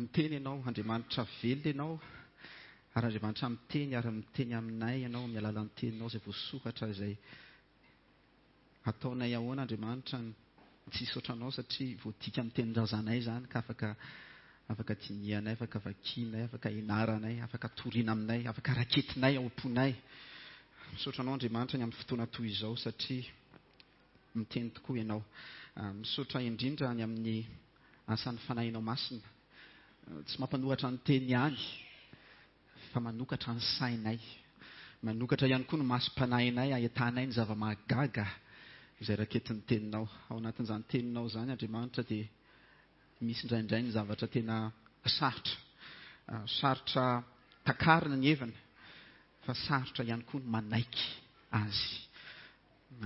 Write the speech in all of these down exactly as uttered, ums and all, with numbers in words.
Miteny Ianao, Andriamanitra velona Ianao, ary Andriamanitra miteny ary miteny aminay Ianao amin'ny alalan'ny teninao izay voasoratra, izay ataonay ahoana Andriamanitra ny tsy hisaotra Anao satria voadika amin'ny tenin-drazanay izany ka afaka afaka dinihanay, afaka vakianay, afaka ianaranay, afaka toriana aminay, afaka raketinay ao am-ponay. Misaotra Anao Andriamanitra ny amin'ny fotoana toy izao satria miteny tokoa Ianao. Misaotra indrindra ny amin'ny asan'ny Fanahinao Masina. Tsy mampanoratra ny teny ihany fa manokatra ny sainay. Manokatra ihany koa ny masom-panahinay ahitanay ny zava-mahagaga izay raketin'ny teninao. Ao anatin'izany teninao izany Andriamanitra dia misy indraindray ny zavatra tena sarotra. Sarotra takarina ny heviny fa sarotra ihany koa ny manaiky azy.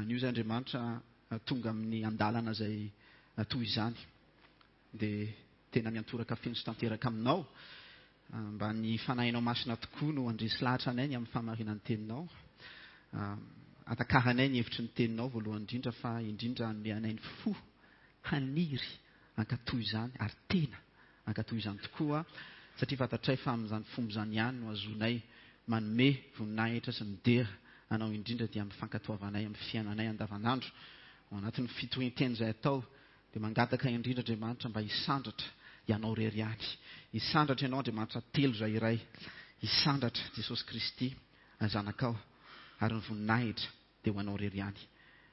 Anio izay Andriamanitra tonga amin'ny andalana izay toy izany dia tena miantoraka feno sy tanteraka aminao mba ny Fanahinao Masina tokoa no handresy lahatra anay ny amin'ny fahamarinan'ny teninao. Atakaranay ny hevitry ny teninao voalohany indrindra fa indrindra hanome anay ny fo haniry hankatò izany ary tena hankatò izany tokoa satria fantatray fa amin'izany fomba izany ihany no azonay manome voninahitra sy midera anao indrindra dia amin'ny fankatoavanay amin'ny fiainanay andavanandro. Ao anatin'ny fitorian-teny izay atao dia mangataka indrindra Andriamanitra mba hisandratra Ianao irery ihany. Hisandratra Ianao Andriamanitra telo izay iray. Hisandratra Jesosy Kristy Zanakao ary ny voninahitra dia ho Anao irery ihany.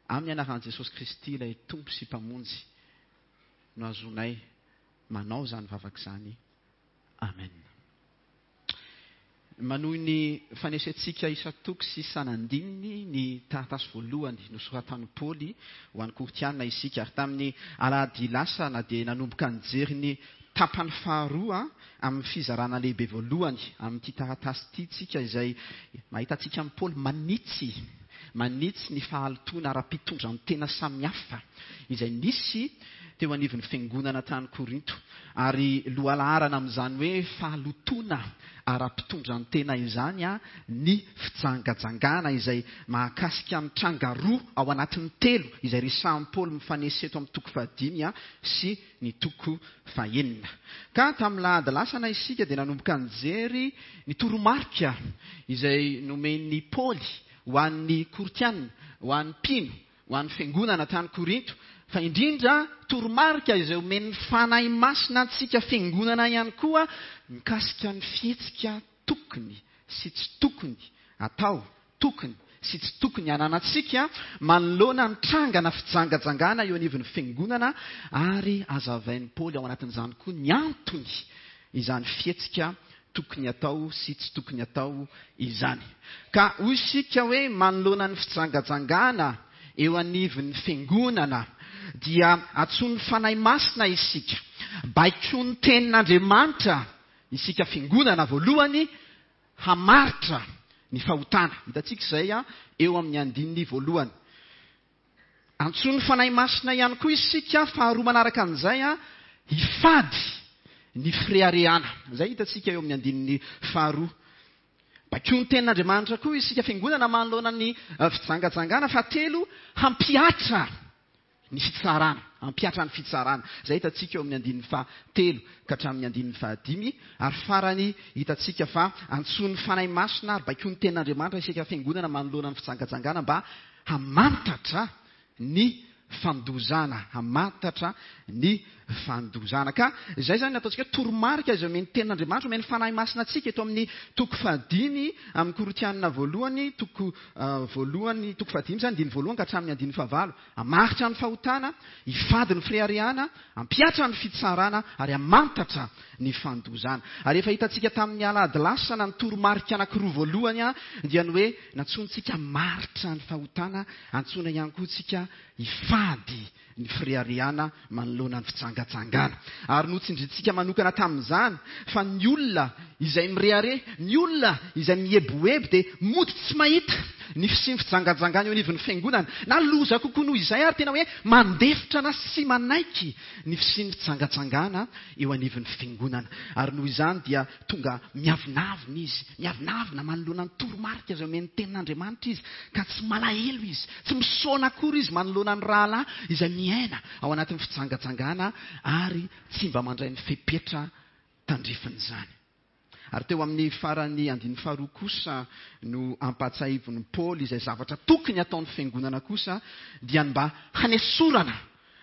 Amin'ny anaran'i Jesosy Kristy ilay Tompo sy Mpamonjy no azonay manao izany vavaka izany. Amen. Manohy ny fanesentsika isan-toko sy isan'andininy ny taratasy voalohany nosoratan'i Paoly ho an'ny Korintiana isika. Ary tamin'ny alahady lasa na dia nanomboka nijery ny tapany faharoa amin'ny fizarana lehibe voalohany amin'ity taratasy ity tsika izay mahita antsika amin'i Paoly manitsy manitsy ny fahalotoana ara-pitondran-tena samihafa izay nisy teo anivon'ny fiangonana tany Korinto. Ary lohalaharana amin'izany hoe fahalotoana ara-pitondran-tena izany ny fijangajangana izay mahakasika ny tranga roa ao anatin'ny telo izay resahin'i Paoly mifanesy eto amin'ny toko fahadimy sy ny toko fahenina. Ka tamin'ny lahady lasana isika dia nanomboka nijery ny toromarika izay nomen'i Paoly ho an'ny Korintiana, ho an'ny mpino, ho an'ny fiangonana tany Korinto, fa indrindra toromarika izay omen'ny Fanahy Masina antsika fiangonana ihany koa mikasika ny fihetsika tokony sy tsy tokony atao, tokony sy tsy tokony hananantsika manoloana ny trangana fijangajangana eo anivon'ny fiangonana, ary hazavain'i Paoly ao anatin'izany koa ny antony izany fihetsika tokony atao sy tsy tokony atao izany. Ka hoy isika hoe manoloana ny fijangajangana eo anivon'ny fiangonana dia antsoin'ny Fanahy Masina isika, baikoin'ny tenin'Andriamanitra isika fiangonana voalohany hamaritra ny fahotana. Hitantsika izay eo amin'ny andininy voalohany. Antsoin'ny Fanahy Masina ihany koa isika faharoa manaraka an'izay hifady ny fireharehana. Izay hitantsika eo amin'ny andininy faharoa. Baikoin'ny tenin'Andriamanitra koa isika fiangonana manoloana ny fijangajangana. Fahatelo, hampihatra ny fitsarana, hampihatra ny fitsarana. Izay hitantsika eo amin'ny andininy fahatelo ka hatramin'ny andininy fahadimy. Ary farany hitantsika fa antsoin'ny Fanahy Masina ary baikoin'ny tenin'Andriamanitra isika fiangonana manoloana ny fijangajangana mba hamantatra ny fandozana, hamantatra ny fandozana. Ka izay izany ataontsika hoe toromarika izay omen'ny tenin'Andriamanitra, omen'ny Fanahy Masina antsika eto amin'ny toko fahadimy amin'ny Korintiana voalohany, toko voalohany, toko fahadimy izany, andininy voalohany ka hatramin'ny andininy fahavalo. Hamaritra ny fahotana, hifady ny fireharehana, hampihatra ny fitsarana ary hamantatra ny fandozana. Ary efa hitantsika tamin'ny alahady lasana ny toromarika anankiroa voalohany dia ny hoe nantsointsika hamaritra ny fahotana, antsoina ihany koa tsika hifady ny fireharehana manoloana ny fijangajangana. Ary notsindrintsika manokana tamin'izany fa ny olona izay mirehareha, ny olona izay mieboebo dia mody tsy mahita ny fisian'ny fijangajangana eo anivon'ny fiangonana. Na loza kokoa noho izay ary tena hoe mandefitra na sy manaiky ny fisian'ny fijangajangana eo anivon'ny fiangonana. Ary noho izany dia tonga miavonavona izy, miavonavona manoloana ny toromarika izay omen'ny tenin'Andriamanitra izy, ka tsy malahelo izy, tsy misaona akory izy manoloana ny rahalahy izay miaina ao anatin'ny fijangajangana ary tsy mba mandray ny fepetra tandrifin'izany. Ary teo amin'ny faran'ny andininy faharoa kosa no ampahatsiahivin'i Paoly izay zavatra tokony hataon'ny fiangonana kosa, dia ny mba hanesorana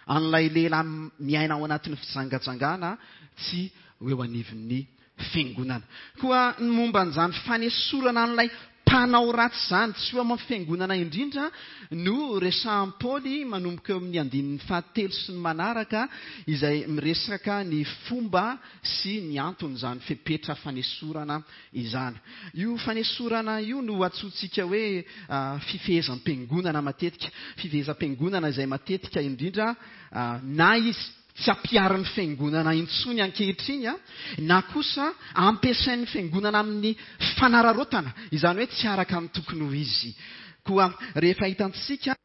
an'ilay lehilahy miaina ao anatin'ny fijangajangana tsy ho eo anivon'ny fiangonana. Koa ny momba an'izany fanesorana an'ilay mpanao ratsy izany tsy ho amin'ny fiangonana indrindra no resahan'i Paoly manomboka eo amin'ny andininy fahatelo sy ny manaraka, izay miresaka ny fomba sy ny anton'izany fepetra fanesorana izany. Io fanesorana io no antsointsika hoe fifehezam-piangonana matetika, fifehezam-piangonana izay matetika indrindra na izy tsy ampiharin'ny fiangonana intsony ankehitriny, na kosa ampiasain'ny fiangonana amin'ny fanararaotana, izany hoe tsy araka ny tokony ho izy. Koa rehefa hitantsika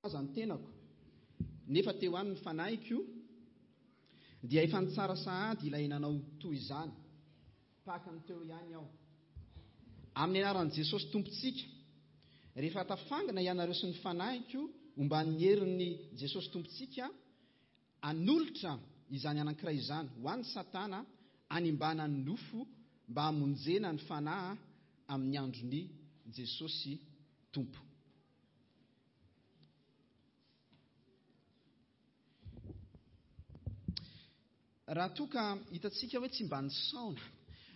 aza ny tenako, nefa teo aminy fanahiko dia efa nitsara sahady ilay nanao toy izany, tahaka ny teo ihany aho. Amin'ny anaran'i Jesosy Tompontsika, rehefa tafangana ianareo sy ny fanahiko omban'ny herin'ny Jesosy Tompontsika, hanolotra izany anankiray izany ho an'ny Satana hanimbana ny nofo mba hamonjena ny fanahy amin'ny andron'i Jesosy Tompo. Raha toa ka hitantsika hoe tsy mba nisaona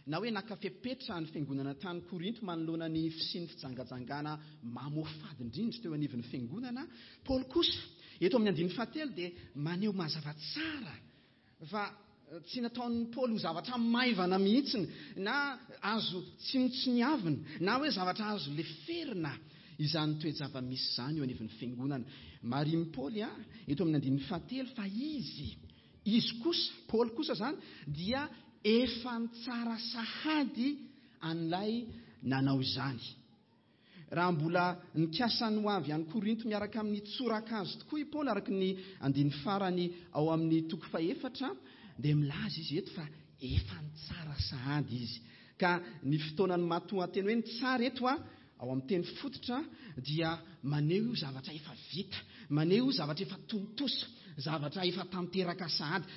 na hoe naka fepetra ny fiangonana tany Korinto manoloana ny fisian'ny fijangajangana mamoafady indrindra teo anivon'ny fiangonana, Paoly kosa eto amin'ny andininy fahatelo dia maneho mazava tsara fa tsy nataon'ny Paoly ho zavatra maivana mihitsy na azo tsinontsiniavina na hoe zavatra azo leferina izany toe-java-misy izany eo anivon'ny fiangonana. Marihin'i Paoly a eto amin'ny andininy fahatelo fa izy Izy kosa, Paoly kosa zany, dia efa nitsara sahady an'ilay nanao izany. Raha mbola nikasa ny ho avy any Korinto miaraka amin'ny tsorakazo tokoa i Paoly, araka ny andininy farany ao amin'ny toko fahefatra, dia milaza izy eto fa efa nitsara sahady izy. Ka ny fotoanan'ny matoanteny hoe nitsara eto a, ao amin'ny teny fototra, dia maneho zavatra efa vita, maneho zavatra efa tontosa, zavatra efa tanteraka sahady.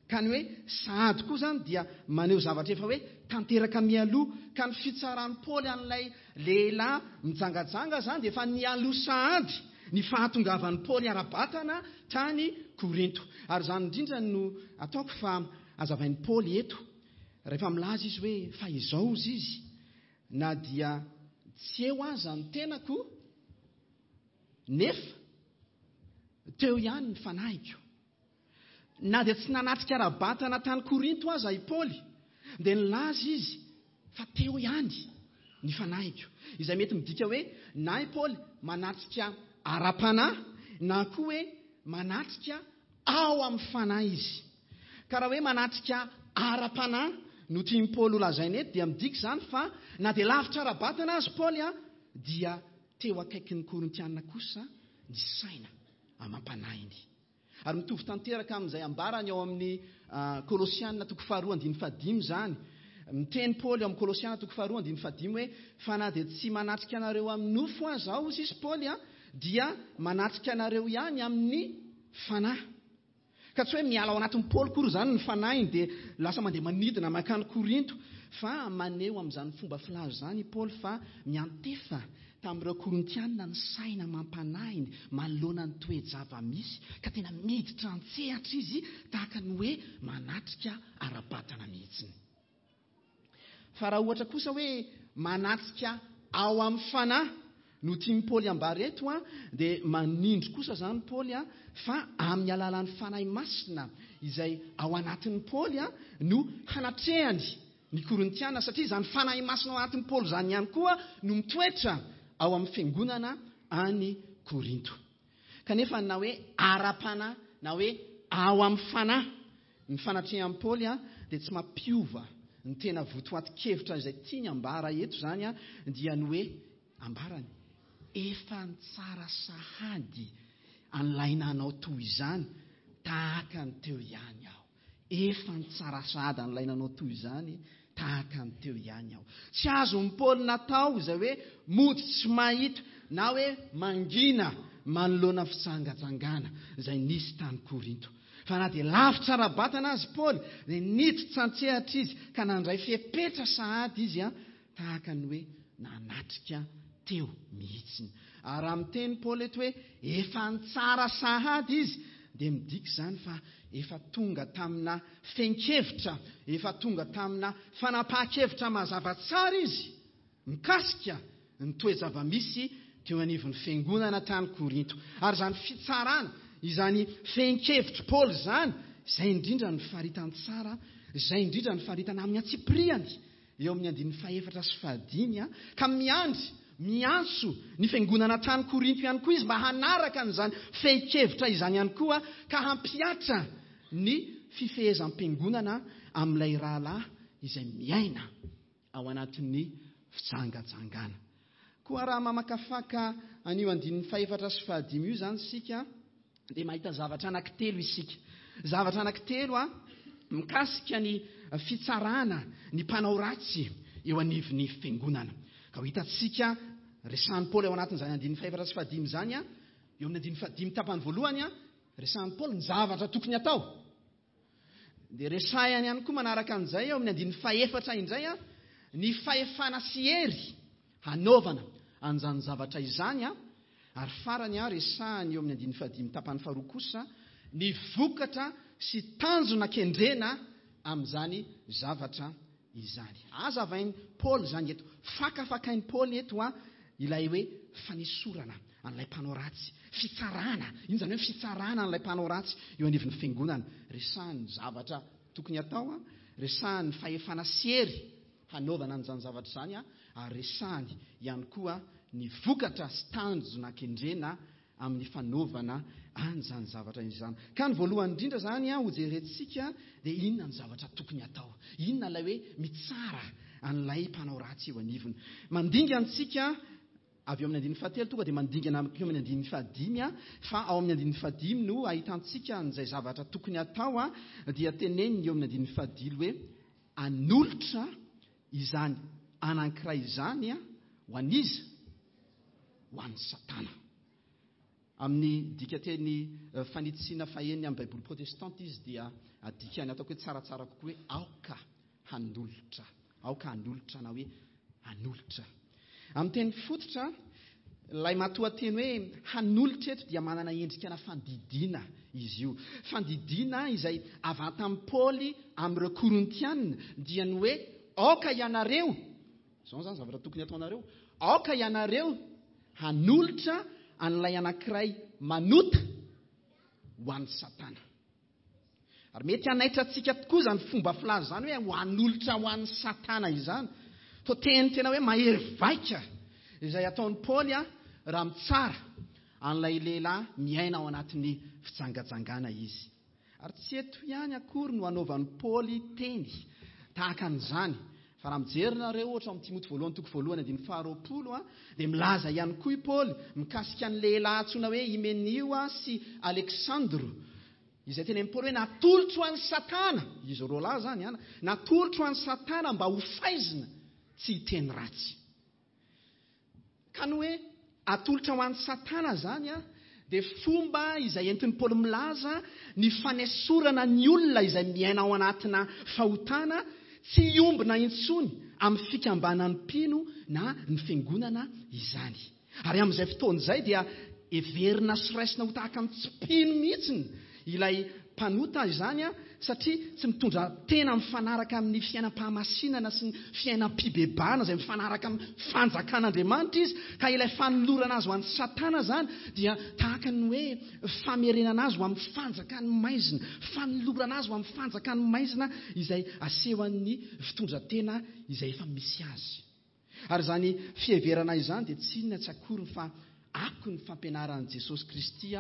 Ka ny hoe sahady koa zany dia maneho zavatra efa hoe tanteraka mialoha. Ka ny fitsaran'i Paoly an'ilay lehilahy mijangajanga zany dia efa nialoha sahady ny fahatongavan'i Paoly ara-batana tany Korinto. Ary izany indrindra no ataoko fa hazavain'i Paoly eto rehefa milaza izy hoe fa izao izy izy, na dia tsy eo aza ny tenako, nefa teo ihany ny fanahiko. Na dia tsy nanatrika ara-batana tany Korinto aza i Paoly, dia nilaza izy fa teo ihany ny fanahiko. Izay mety midika hoe na i Paoly manatrika ara-panahy na koa hoe manatrika ao amin'ny fanahy izy. Ka raha hoe manatrika ara-panahy no tian'i Paoly ho lazaina eto, dia midika izany fa na dia lavitra ara-batana azy Paoly a, dia teo akaikin'ny Korintiana kosa ny saina amam-panahiny. Ary mitovy tanteraka amin'izay ambarany ao amin'ny Kolosiana toko faharoa andininy fahadimy izany. Miteny Paoly ao amin'ny Kolosiana toko faharoa andininy fahadimy hoe fa na dia tsy manatrika anareo amin'ny nofo aza aho, hoy izy Paoly a, dia manatrika anareo ihany amin'ny fanahy. Ka tsy hoe miala ao anatin'ny Paoly kory izany ny fanahiny dia lasa mandeha manidina mankany Korinto, fa maneho amin'izany fomba filaza izany i Paoly fa miantefa tamin'ireo Korintianina ny saina amam-panahiny manoloana ny toe-java-misy, ka tena miditra an-tsehatra izy tahaka ny hoe manatrika ara-batana mihitsiny. Fa raha ohatra kosa hoe manatrika ao amin'ny fanahy no tian'i Paoly ambara eto a, dia manindry kosa izany Paoly a fa amin'ny alalan'ny Fanahy Masina izay ao anatin'ny Paoly a no hanatrehany ny Korintiana, satria izany Fanahy Masina ao anatin'ny Paoly izany ihany koa no mitoetra ao amin'ny fiangonana any Korinto. Kanefa na hoe ara-panahy na hoe ao amin'ny fanahy ny fanatrehan'i Paoly a dia tsy mampiova ny tena votoatin-kevitra izay tiany ambara eto izany a, dia ny hoe ambarany efa nitsara sahady an'ilay nanao toy izany tahaka ny teo ihany aho. Efa nitsara sahady an'ilay nanao toy izany tahaka ny teo ihany aho. Tsy azon'i Paoly natao izay hoe mody tsy mahita na hoe mangina manoloana fijangajangana izay nisy tany Korinto. Fa na dia lavitra ara-batana azy Paoly, dia niditra an-tsehatra izy ka nandray fepetra sahady izy a, tahaka ny hoe nanatrika teo mihitsiny. Ary raha miteny Paoly eto hoe efa nitsara sahady izy, dia midika izany fa efa tonga tamina fehin-kevitra, efa tonga tamina fanapahan-kevitra mazava tsara izy mikasika ny toe-java-misy teo anivon'ny fiangonana tany Korinto. Ary izany fitsarana, izany fehin-kevitry Paoly izany, izay indrindra ny faritany tsara, izay indrindra ny faritana amin'ny antsipiriany eo amin'ny andininy fahefatra sy fahadimy, ka miandry, miantso ny fiangonana tany Korinto ihany koa izy mba hanaraka an'izany fehin-kevitra izany ihany koa, ka hampihatra ny fifehezam-piangonana amin'ilay rahalahy izay miaina ao anatin'ny fijangajangana. Koa raha mamakafaka an'io andininy fahefatra sy fahadimy io izany isika, dia mahita zavatra anankitelo isika. Zavatra anankitelo a mikasika ny fitsarana ny mpanao ratsy eo anivon'ny fiangonana. Ka ho hitantsika resahan'i Paoly ao anatin'izany andininy fahefatra sy fahadimy izany a, eo amin'ny andininy fahadimy tapany voalohany a, resahan'i Paoly ny zavatra tokony atao. Dia resahany ihany koa manaraka an'izay eo amin'ny andininy fahefatra indray a, ny fahefana sy hery hanaovana an'izany zavatra izany a. Ary farany a, resahany eo amin'ny andininy fahadimy tapany faharoa kosa ny vokatra sy tanjona kendrena amin'izany zavatra izany. Azavain'i Paoly izany eto, fakafakain'i Paoly eto a ilay hoe fanesorana an'ilay mpanao ratsy, fitsarana, iny izany hoe fitsarana an'ilay mpanao ratsy eo anivon'ny fiangonana. Resahany ny zavatra tokony atao a, resahany ny fahefana sy hery hanaovana an'izany zavatra izany a, ary resahany ihany koa ny vokatra sy tanjona kendrena amin'ny fanaovana an'izany zavatra izany. Ka ny voalohany indrindra izany a, hojerentsika dia inona ny zavatra tokony atao, inona ilay hoe mitsara an'ilay mpanao ratsy eo anivony. Mandingana antsika avy eo amin'ny andininy fahatelo tonga dia mandingana eo amin'ny andininy fahadimy a, fa ao amin'ny andininy fahadimy no ahitantsika an'izay zavatra tokony atao a, dia teneniny eo amin'ny andininy fahadimy hoe anolotra izany anankiray izany a ho an'iza? Ho an'ny Satana. Amin'ny dikateny fanitsiana fahenina amin'ny Baiboly protestanta izy dia adikany ataoko hoe tsaratsara kokoa hoe aoka hanolotra, aoka hanolotra na hoe hanolotra. Amin'ny teny fototra, ilay matoanteny hoe hanolotra eto dia manana endrika na fandidiana izy io. Fandidiana izay avy tamin'i Paoly amin'ireo Korintianina, dia ny hoe aoka ianareo, izao izany zavatra tokony ataonareo, aoka ianareo hanolotra an'ilay anankiray manota ho an'ny Satana. Ary mety hanaitra antsika tokoa izany fomba filaza izany hoe ho hanolotra ho an'ny Satana izany. Toa teny tena hoe mahery vaika izay ataon'i Paoly a raha mitsara an'ilay lehilahy miaina ao anatin'ny fijangajangana izy. Ary tsy eto ihany akory no anaovan'i Paoly teny tahaka an'izany. Fa raha mijery nareo ohatra amin'ny Timoty voalohany toko voalohany andininy faharoapolo a, dia milaza ihany koa i Paoly mikasika ny lehilahy antsoina hoe Hymenio sy Aleksandro, izay teny amin'i Paoly hoe natolotro an'i Satana, izy roa lahy izany a, natolotro an'i Satana mba ho faizina tsy hiteny ratsy. Ka ny hoe atolotra ho an'i Satana izany a, dia fomba izay entin'i Paoly milaza ny fanesorana ny olona izay miaina ao anatina fahotana tsy hiombona intsony amin'ny fikambanan'ny mpino na ny fiangonana izany. Ary amin'izay fotoana izay dia heverina sy raisina ho tahaka ny tsy mpino mihitsiny ilay mpanota izany a, satria tsy mitondra tena mifanaraka amin'ny fiainam-pahamasinana sy ny fiainam-pibebahana izay mifanaraka amin'ny fanjakan'Andriamanitra izy, ka ilay fanolorana azy ho an'ny Satana izany dia tahaka ny hoe famerenana azy ho amin'ny fanjakan'ny maizina, fanolorana azy ho amin'ny fanjakan'ny maizina izay asehon'ny fitondran-tena izay efa misy azy. Ary izany fiheverana izany dia tsy inona tsy akory fa ako ny fampianaran'i Jesosy Kristy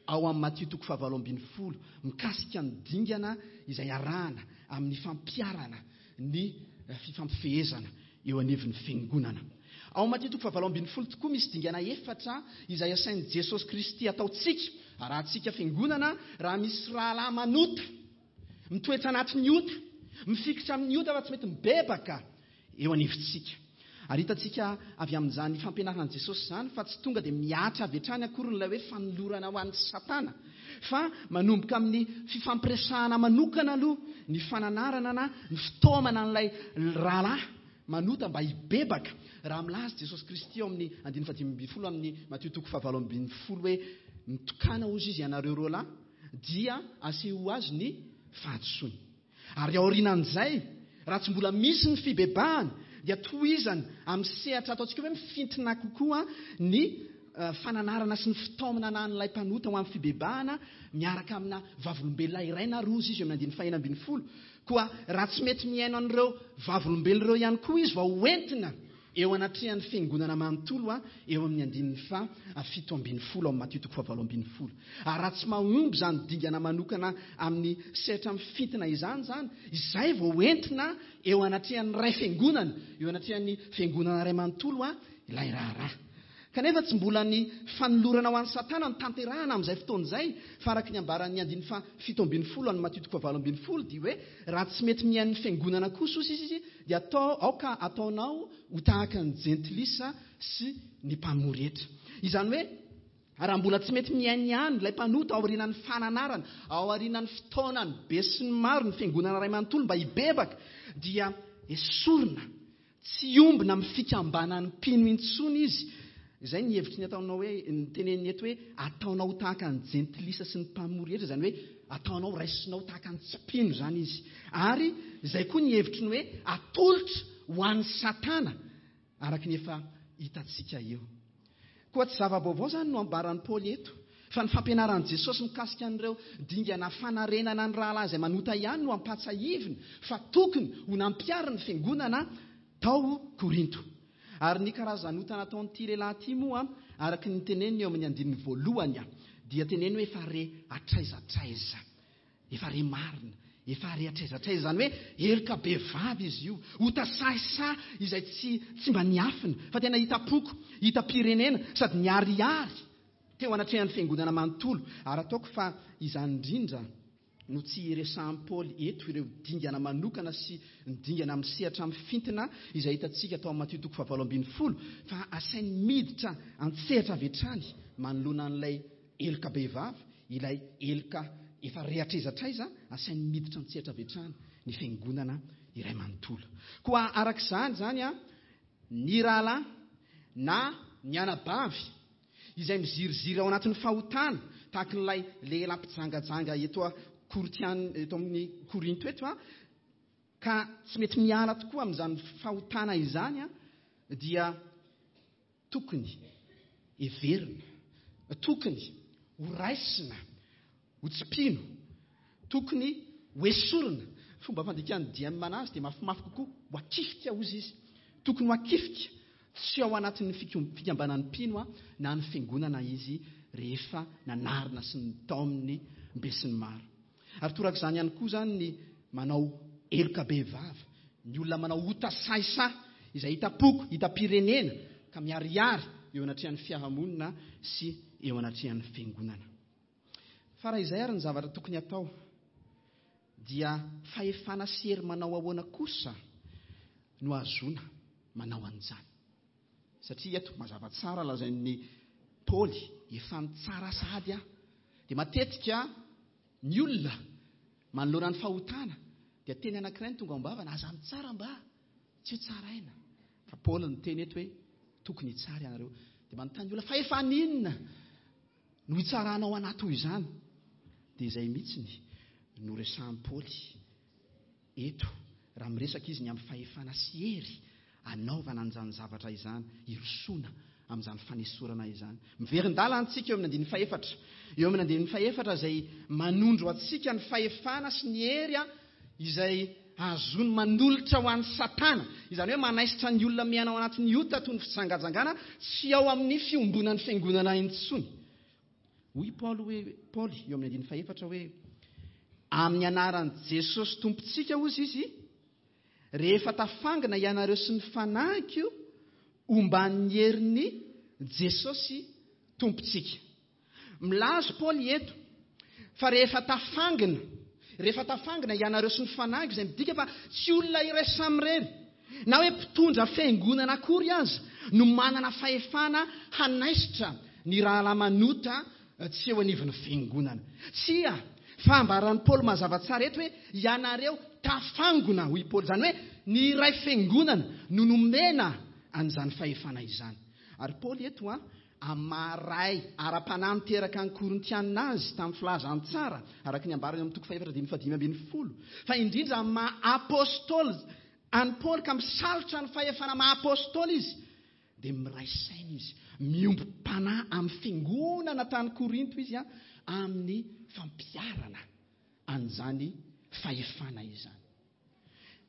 ao amin'ny Matio toko fahavalo ambin'ny folo mikasika ny dingana izay arahana amin'ny fampiharana ny fifampifehezana eo anivon'ny fiangonana. Ao Matio toko fahavalo ambin'ny folo tokoa misy dingana efatra izay asain'i Jesosy Kristy ataontsika, arahantsika fiangonana raha misy rahalahy manota, mitoetra anatin'ny ota, mifikitra amin'ny ota fa tsy mety mibebaka eo anivontsika. Ary hitantsika avy amin'izany fampianaran'i Jesosy izany fa tsy tonga dia mihatra avy hatrany akory ilay hoe fanolorana ho an'ny Satana, fa manomboka amin'ny fifampiresahana manokana aloha ny fananarana na ny fitaomana an'ilay rahalahy manota mba hibebaka. Raha milaza Jesosy Kristy ao amin'ny andininy fahadimy ambin'ny folo amin'ny Matio toko fahavalo ambin'ny folo hoe mitokana hozy izy ianareo roa lahy, dia aseho azy ny fahadisoany. Ary aorianan'izay, raha tsy mbola misy ny fibebahana, dia tohizana amin'ny sehatra ataontsika hoe mifintina kokoa ny fananarana sy ny fitaomana an'ilay mpanota ho amin'ny fibebahana miaraka amina vavolombelona iray na roa izy eo amin'ny andininy fahena ambin'ny folo. Koa raha tsy mety mihaino an'ireo vavolombelona ireo ihany koa izy vao hoentina eo anatrehan'ny fiangonana manontolo a eo amin'ny andininy fahafito ambin'ny folo amin'ny Matio toko fahavalo ambin'ny folo. Ary raha tsy mahomby izany dingana manokana amin'ny sehatra mifintina izany izany, izay vao hoentina eo anatrehan'ny ray fiangonana, eo anatrehan'ny fiangonana ray manontolo a ilay raharaha. Kanefa tsy mbola ny fanolorana ho an'ny Satana no tanterahana amin'izay fotoana izay, fa araka ny ambaran'ny andininy fahafito ambin'ny folo amin'ny Matio toko fahavalo ambin'ny folo dia hoe raha tsy mety mihaino ny fiangonana kosa izy izy dia atao aoka ataonao ho tahaka ny jentilisa sy ny mpamory hetra. Izany hoe raha mbola tsy mety mihaino ihany ilay mpanota aorianan'ny fananarana, aorianan'ny fitaonany be sy ny maro ny fiangonana iray manontolo mba hibebaka, dia esorina tsy ombina amin'ny fikambanan'ny mpino intsony izy. Izay ny hevitry ny ataonao hoe ny teneniny eto hoe ataonao tahaka ny jentilisa sy ny mpamory hetra, izany hoe ataonao raisinao tahaka ny tsy mpino izany izy. Ary izay koa ny hevitry ny hoe atolotra ho an'ny Satana araka ny efa hitantsika eo. Koa tsy zava-baovao izany no ambaran'i Paoly eto, fa ny fampianaran'i Jesosy mikasika an'ireo dingana fanarenana ny rahalahy izay manota ihany no ampahatsiahiviny fa tokony ho nampiharin'ny fiangonana tao Korinto. Ary ny karazan'ota nataon'ity lehilahy ity moa araka ny teneniny eo amin'ny andininy voalohany dia teneny hoe efa re hatraiza hatraiza, efa re marina, efa re hatraiza hatraiza, izany hoe heloka bevava izy io, ota sahisahy izay tsy tsy mba niafina fa tena hita-poko, hita-pirenena sady niharihary teo anatrehan'ny fiangonana manontolo. Ary ataoko fa izany indrindra no tsy iresahan'i Paoly eto ireo dingana manokana sy ny dingana amin'ny sehatra mifintina izay hitantsika tao amin'ny Matio toko fahavalo ambin'ny folo, fa asainy miditra an-tsehatra avy hatrany manoloana an'ilay heloka bevava, ilay heloka efa re hatraiza hatraiza, asainy miditra an-tsehatra avy hatrany ny fiangonana iray manontolo. Koa araka izany izany a, ny rahalahy na ny anabavy izay miziriziry ao anatin'ny fahotana tahaka an'ilay lehilahy mpijangajanga eto a Korintian, eto amin'ny Korinto eto a, ka tsy mety miala tokoa amin'izany fahotana izany a, dia tokony heverina, tokony ho raisina, ho tsy mpino, tokony ho esorina. Fomba fandikan'ny D M anazy dia mafimafy kokoa, ho akifika hozy izy, tokony ho akifika tsy ao anatin'ny fikambanan'ny mpino a, na ny fiangonana izy rehefa nanarina sy nitaominy be sy ny maro. Ary torak'izany ihany koa izany ny manao heloka bevava, ny olona manao ota sahisahy izay hita-poko, hita-pirenena ka miharihary eo anatrehan'ny fiarahamonina sy eo anatrehan'ny fiangonana. Fa raha izay ary ny zavatra tokony atao, dia fahefana sy hery manao ahoana kosa no ahazoana manao an'izany. Satria eto mazava tsara lazain'ny Paoly, efa nitsara sahady aho. Dia matetika ny olona manoloana ny fahotana dia teny anankiray no tonga ao am-bavana, aza mitsara mba tsy ho tsaraina. Fa Paoly niteny eto hoe tokony hitsara ianareo. Dia manontany olona fa efa n'inona no hitsaranao anaty ho izany? Dia izay mihitsy no resahan'i Paoly eto raha miresaka izy ny amin'ny fahefana sy hery anaovana an'izany zavatra izany, hirosoana amin'izany fanesorana izany. Miverin-dalana antsika eo amin'ny andininy fahefatra. Eo amin'ny andininy fahefatra izay manondro antsika ny fahefana sy ny hery izay azony manolotra ho an'ny Satana. Izany hoe manaisitra ny olona miaina ao anatin'ny ota toy ny fijangajangana tsy ao amin'ny fiombonan'ny fiangonana intsony. Hoy Paoly hoe Paoly eo amin'ny andininy fahefatra hoe amin'ny anaran'i Jesosy Tompontsika hozy izy, rehefa tafangina ianareo sy ny fanahiko omban'ny herin'ny Jesosy Tompontsika. Milaza Paoly eto fa rehefa tafangina, rehefa tafangina ianareo sy ny fanahiko, izay midika fa tsy olona iray samirery na hoe mpitondra fiangonana akory aza no manana fahefana hanaisitra ny rahalahy manota tsy eo anivon'ny fiangonana. Tsia, fa ambaran'i Paoly mazava tsara eto hoe ianareo tafangona, hoy Paoly. Izany hoe ny iray fiangonana no nomena an'izany fahefana izany. Ary Paoly eto a amaray ara-panahy niteraka ny Korintianina azy tamin'ny filazantsara araka ny ambarany amin'ny toko fahefatra dimy fahadimy ambin'ny folo, fa indrindra amin'ny maha apôstôly an'i Paoly ka misalotra ny fahefana maha apôstôly izy, dia miray saina izy, miombom-panahy amin'ny fiangonana tany Korinto izy a amin'ny fampiharana an'izany fahefana izany.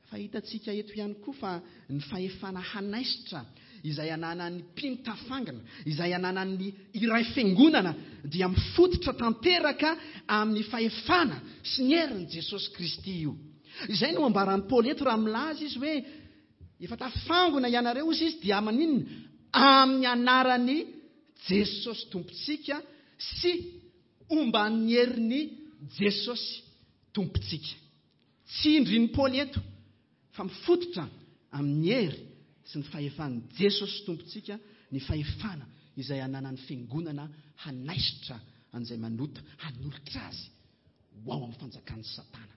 Fa hitantsika eto ihany koa fa ny fahefana hanaisitra izay ananan'ny mpino tafangina, izay ananan'ny iray fiangonana, dia mifototra tanteraka amin'ny fahefana sy ny herin'i Jesosy Kristy io. Izay no ambaran'i Paoly eto raha milaza izy hoe efa tafangona ianareo izy izy dia maninona? Amin'ny anaran'i Jesosy Tompontsika sy omban'ny herin'i Jesosy Tompontsika. Tsy indrin'i Paoly eto fa mifototra amin'ny hery sy ny fahefan'i Jesosy Tompontsika ny fahefana izay ananan'ny fiangonana hanaisitra an'izay manota, hanolotra azy ho ao amin'ny fanjakan'i Satana.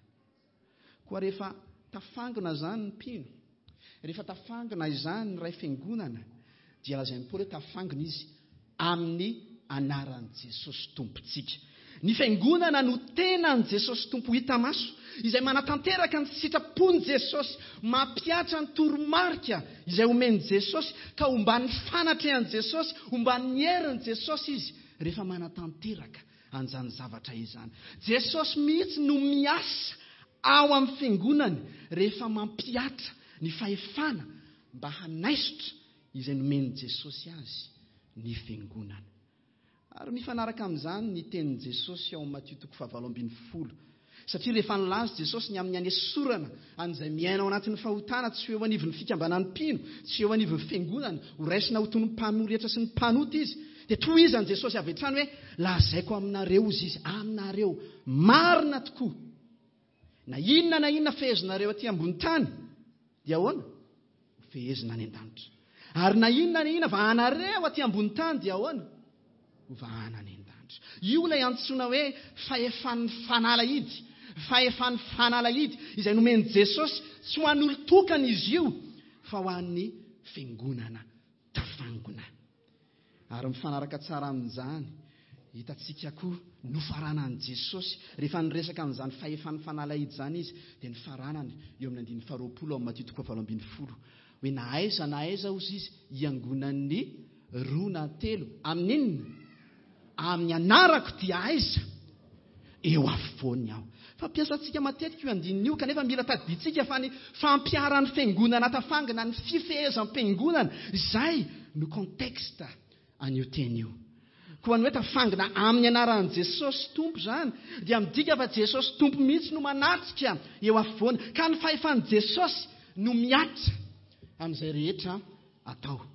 Koa rehefa tafangona izany ny mpino, rehefa tafangona izany ny ray fiangonana, dia lazain'i Paoly hoe tafangona izy amin'ny anaran'i Jesosy Tompontsika. Ny fiangonana no tenan'i Jesosy Tompo hita maso, izay manatanteraka ny sitrapon'i Jesosy, mampihatra ny toromarika izay omen'i Jesosy, ka omban'ny fanatrehan'i Jesosy, omban'ny herin'i Jesosy izy rehefa manatanteraka an'izany zavatra izany. Jesosy mihitsy no miasa ao amin'ny fiangonany rehefa mampihatra ny fahefana mba hanaisotra izay nomen'i Jesosy azy ny fiangonana. Ary mifanaraka amin'izany ny tenin'i Jesosy ao Matio toko fahavalo ambin'ny folo. Satria rehefa nilaza Jesosy ny amin'ny anesorana an'izay miaina ao anatin'ny fahotana, tsy eo anivon'ny fikambanan'ny mpino, tsy eo anivon'ny fiangonana, ho raisina ho toy ny mpanoratra sy ny mpanota izy, dia tohizan'i Jesosy avy hatrany hoe lazaiko aminareo izy izy, aminareo marina tokoa. Na inona na inona fehezinareo aty ambony tany, dia ahoana? Ho fehezina any an-danitra. Ary na inona na inona vahanareo aty ambony tany, dia ahoana? Ho vahana any an-danitra. Io ilay antsoina hoe fahefan'ny fanalahidy, fahefan'ny fanalahidy izay nomen'i Jesosy tsy ho an'olon-tokana izy io, fa ho an'ny fiangonana tafangona. Ary mifanaraka tsara amin'izany, hitantsika koa nofaranan'i Jesosy rehefa niresaka amin'izany fahefan'ny fanalahidy izany izy, dia nifaranany eo amin'ny andininy faharoapolo amin'ny Matio toko fahavalo ambin'ny folo hoe na aiza na aiza hozy izy hiangonan'ny roa na telo amin'inona? Amin'ny anarako dia aiza? Eo afovoany aho. Fampiasantsika matetika io andininy io, kanefa mila tadidintsika fa ny fampiharan'ny fiangonana tafangina, ny fifehezam-piangonana, izay no contexte an'io teny io. Koa ny hoe tafangina amin'ny anaran'i Jesosy Tompo izany dia midika fa Jesosy Tompo mihitsy no manatrika eo afovoany, ka ny fahefan'i Jesosy no mihatra amin'izay rehetra atao.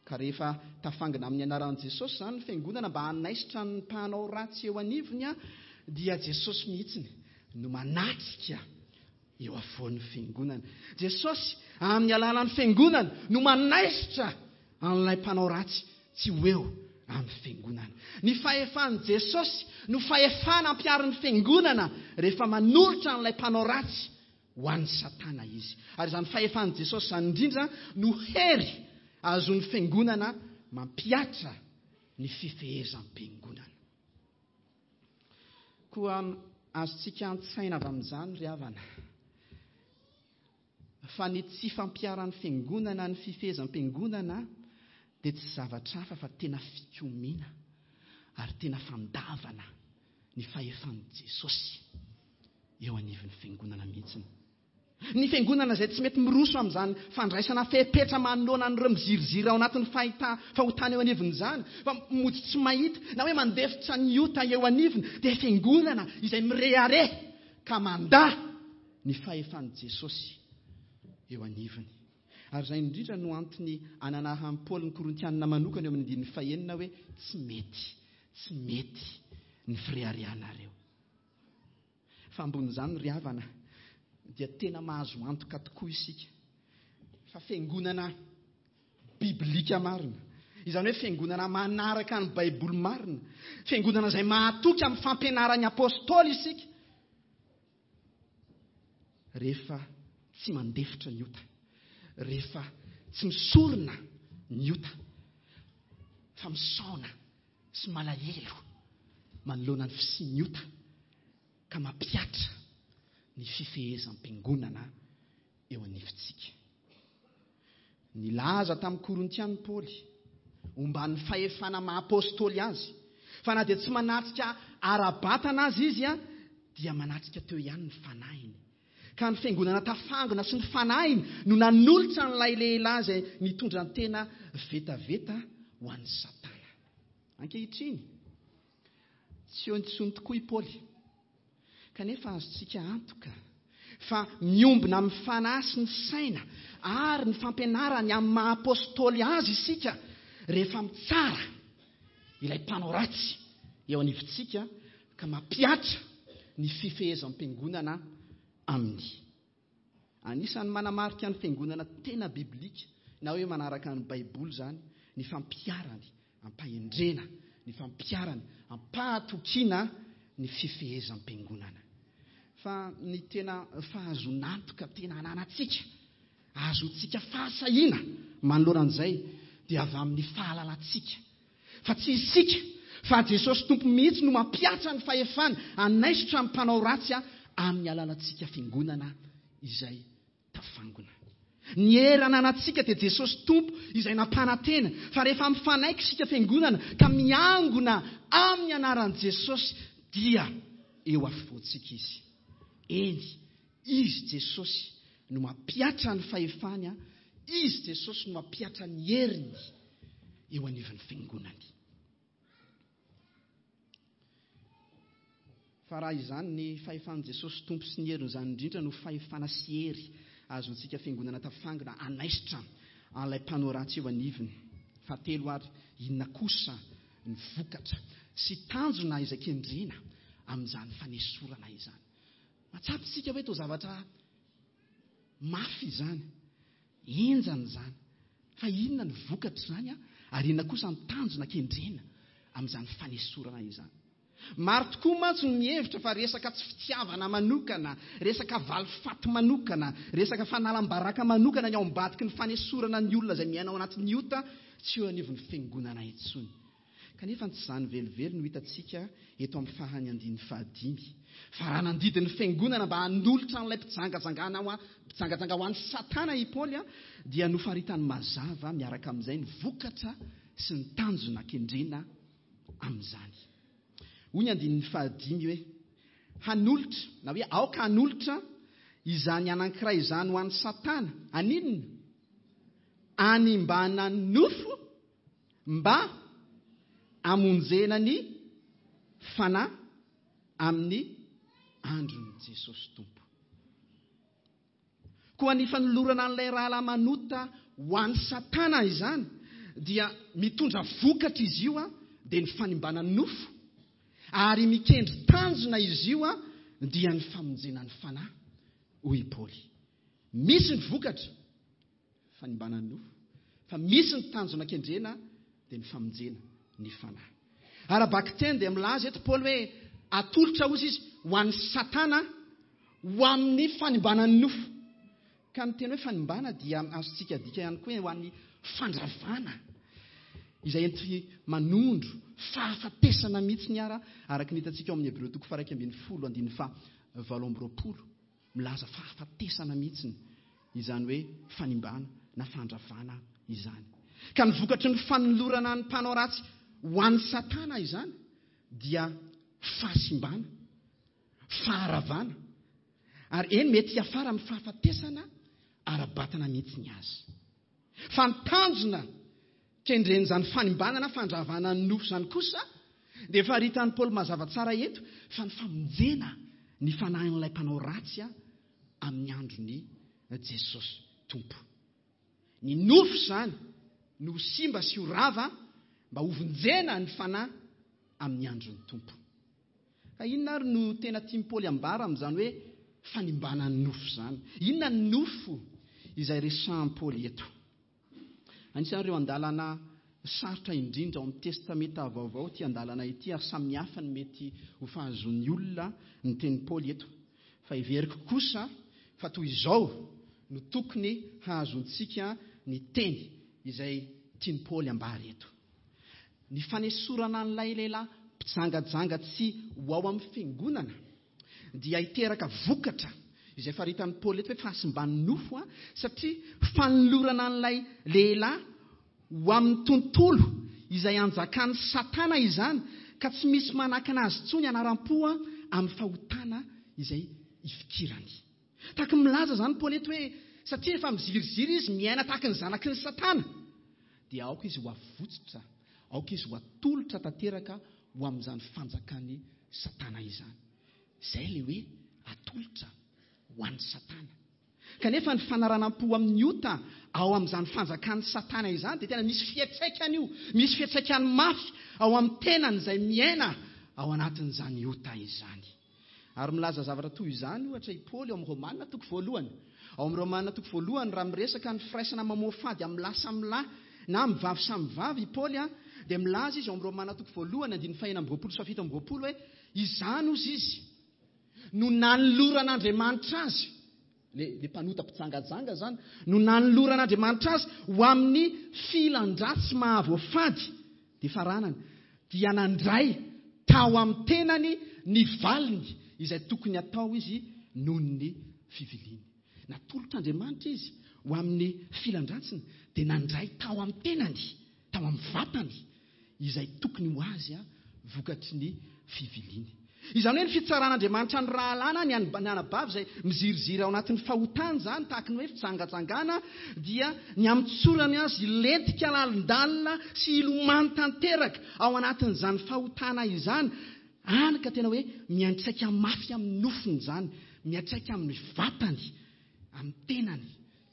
Ka rehefa tafangina amin'ny anaran'i Jesosy izany ny fiangonana mba hanaisitra ny mpanao ratsy eo anivony, dia Jesosy mihitsy no manatrika eo afovoan'ny fiangonana. Jesosy amin'ny alalan'ny fiangonana no manaisitra an'ilay mpanao ratsy tsy ho eo amin'ny fiangonana. Ny fahefan'i Jesosy no fahefana ampiharin'ny fiangonana rehefa manolotra an'ilay mpanao ratsy ho an'ny Satana izy. Ary izany fahefan'i Jesosy izany indrindra no hery azon'ny fiangonana mampihatra ny fifehezam-piangonana. Koa Azontsika an-tsaina avy amin'izany ry havana fa ny tsy fampiharan'ny fiangonana ny fifehezam-piangonana dia tsy zavatra hafa fa tena fikomiana ary tena fandavana ny fahefan'i Jesosy eo anivon'ny fiangonana mihitsy. Ny fiangonana izay tsy mety miroso amin'izany fandraisana fepetra manoloana an'ireo miziriziry ao anatin'ny fahita fahotana eo anivon'izany, fa mody tsy mahita na hoe mandefitra ny ota eo anivony, dia fiangonana izay mirehareha ka mandà ny fahefan'i Jesosy eo anivony. Ary izay indrindra no antony ananahan'i Paoly ny Korintianina manokana eo amin'ny andininy fahenina hoe tsy mety, tsy mety ny fireharehanareo. Fa ambonin'izany ry havana dia tena mahazo antoka tokoa isika fa fiangonana biblika marina, izany hoe fiangonana manaraka ny Baiboly marina, fiangonana izay mahatoky amin'ny fampianaran'ny apôstôly isika rehefa tsy mandefitra ny ota, rehefa tsy misorona ny ota fa misaona sy malahelo manoloana ny fisian'ny ota ka mampihatra ny fifehezam-piangonana eo anivontsika. Nilaza tamin'ny Korintianina Paoly omban'ny fahefana maha apôstôly azy fa na dia tsy manatrika ara-batana azy izy a dia manatrika teo ihany ny fanahiny. Ka ny fiangonana tafangona sy ny fanahiny no nanolotra an'ilay lehilahy izay nitondra ny tena vetaveta ho an'ny Satana. Ankehitriny tsy eo intsony tokoa i Paoly, kanefa azontsika antoka fa miombona amin'ny fanahy sy ny saina ary ny fampianarany amin'ny maha apôstôly azy isika rehefa mitsara ilay mpanao ratsy eo anivontsika ka mampihatra ny fifehezam-piangonana aminy. Anisan'ny manamarika ny fiangonana tena biblika na hoe manaraka ny Baiboly izany ny fampiharany ampahendrena, ny fampiharany ampahatokiana ny fifehezam-piangonana. Fa ny tena fahazonantoka tena ananantsika, ahazoantsika fahasahiana manoloana an'izay dia avy amin'ny fahalalantsika fa tsy isika fa Jesosy Tompo mihitsy no mampihatra ny fahefany hanaisotra ny mpanao ratsy amin'ny alalantsika fiangonana izay tafangona. Ny hery ananantsika dia Jesosy Tompo izay nampanantena fa rehefa mifanaiky isika fiangonana ka miangona amin'ny anaran'i Jesosy dia eo afovoantsika izy. Eny, izy Jesosy no mampihatra ny fahefany, izy Jesosy no mampihatra ny heriny eo anivon'ny fiangonany. Fa raha izany ny fahefan'i Jesosy Tompo sy ny herin'izany indrindra no fahefana sy hery azontsika fiangonana tafangona hanaisotra an'ilay mpanao ratsy eo anivony. Fahatelo ary, inona kosa ny vokatra sy tanjona izay kendrena amin'izany fanesorana izany? Mahatsapa isika hoe toa zavatra mafy izany, henjana izany, fa inona ny vokatra izany ary inona kosa ny tanjona kendrena amin'izany fanesorana izany? Maro tokoa mantsy no mihevitra fa resaka tsy fitiavana manokana, resaka valifaty manokana, resaka fanalam-baraka manokana ny ao ambadiky ny fanesorana ny olona izay miaina ao anatin'ny ota tsy eo anivon'ny fiangonana intsony. Kanefa tsy izany velively no hitantsika eto amin'ny farany andininy fahadimy. Fa raha nandidy ny fiangonana mba hanolotra an'ilay mpijangajangana ho a-, mpijangajanga ho an'i Satana i Paoly a, dia nofaritany mazava miaraka amin'izay ny vokatra sy ny tanjona kendrena amin'izany. Hoy ny andininy fahadimy hoe hanolotra, na hoe aoka hanolotra izany anankiray izany ho an'i Satana. Aninona? Animbana ny nofo mba hamonjena ny fanahy amin'ny andron'i Jesosy Tompo. Koa ny fanolorana an'ilay rahalahy manota ho an'i Satana izany dia mitondra vokatra izy io a, dia ny fanimbana ny nofo, ary mikendry tanjona izy io a, dia ny famonjena ny fanahy, hoy i Paoly. Misy ny vokatra fanimbana ny nofo, fa misy ny tanjona kendrena dia ny famonjena ny fanahy. Ara-bakiteny dia milaza eto Paoly hoe atolotra ozy izy ho an'ny Satana ho amin'ny fanimbana ny nofo. Ka ny teny hoe fanimbana dia azontsika adika ihany koa hoe ho an'ny fandravana izay enti manondro fahafatesana mihitsy ny ara, araka ny hitantsika ao amin'ny Hebreo toko faha iraika ambin'ny folo andininy faha valo amby roapolo, milaza fahafatesana mihitsy izany hoe fanimbana na fandravana izany. Ka ny vokatry ny fanolorana ny mpanao ratsy ho an'ny Satana izany dia fahasimbana, faharavana, ary eny mety hiafara amin'ny fahafatesana ara-batana mihitsy ny azy. Fa ny tanjona kendren'izany fanimbana na fandravana ny nofo izany kosa dia efa ritan'i Paoly mazava tsara eto fa ny famonjena ny fanahin'ilay mpanao ratsy amin'ny andron'i Jesosy Tompo. Ny nofo izany no simba sy ho rava mba hovonjena ny fanahy amin'ny andron'ny Tompo. Ka inona ary no tena tian'i Paoly ambara amin'izany hoe fanimbana ny nofo izany? Inona ny nofo izay resahan'i Paoly eto? Anisan'ireo andalana sarotra indrindra ao amin'ny Testamenta Vaovao ity andalana ity, ary samihafa ny mety ho fahazoan'ny olona ny tenin'i Paoly eto. Fa heveriko kosa fa toy izao no tokony hahazoantsika ny teny izay tian'i Paoly ambara eto. Ny fanesorana an'ilay lehilahy mpijangajanga tsy ho ao amin'ny fiangonana dia hiteraka vokatra izay faritan'i Paoly eto hoe fahasimban'ny nofo, a, satria fanolorana an'ilay lehilahy ho amin'ny tontolo izay anjakan'ny Satana izany, ka tsy misy manakana azy intsony anaram-po amin'ny fahotana izay ifikirany. Tahaka milaza izany Paoly eto hoe satria efa miziriziry izy miaina tahaka ny zanaky ny Satana, dia aoka izy ho avotsitra, aoka izy ho atolotra tanteraka ho amin'izany fanjakan'ny Satana izany. Izay ilay hoe atolotra ho an'ny Satana. Kanefa ny fanaranam-po amin'ny ota ao amin'izany fanjakan'ny Satana izany dia tena misy fiantraikany io, misy fiantraikany mafy ao amin'ny tenany izay miaina ao anatin'izany ota izany. Ary milaza zavatra toy izany ohatra i Paoly ao amin'ny Romana toko voalohany. Ao amin'ny Romana toko voalohany, raha miresaka ny firaisana mamoafady amin'ny lahy samy lahy na amin'ny vavy samy vavy i Paoly, dia milaza izy ao amin'ny Romana toko voalohany andininy fahenina amby roapolo sy fahafito amby roapolo hoe izany ozy izy no nanoloran'Andriamanitra azy, le le mpanota mpijangajanga zany, no nanoloran'Andriamanitra azy ho amin'ny filan-dratsy mahavoafady, dia faranany dia nandray tao amin'ny tenany ny valiny izay tokony atao izy noho ny fiviliany. Natolotr'Andriamanitra izy ho amin'ny filan-dratsiny, dia nandray tao amin'ny tenany, tao amin'ny vatany izay tokony ho azy vokatry ny fiviliany. Izany hoe ny fitsaran'Andriamanitra ny rahalahy na ny anabavy izay miziriziry ao anatin'ny fahotana izany, tahaka ny hoe fijangajangana, dia ny amitsorany azy hilentika lalindalina sy hilomano tanteraka ao anatin'izany fahotana izany, any ka tena hoe miantraika mafy amin'ny nofony izany, miantraika amin'ny vatany, amin'ny tenany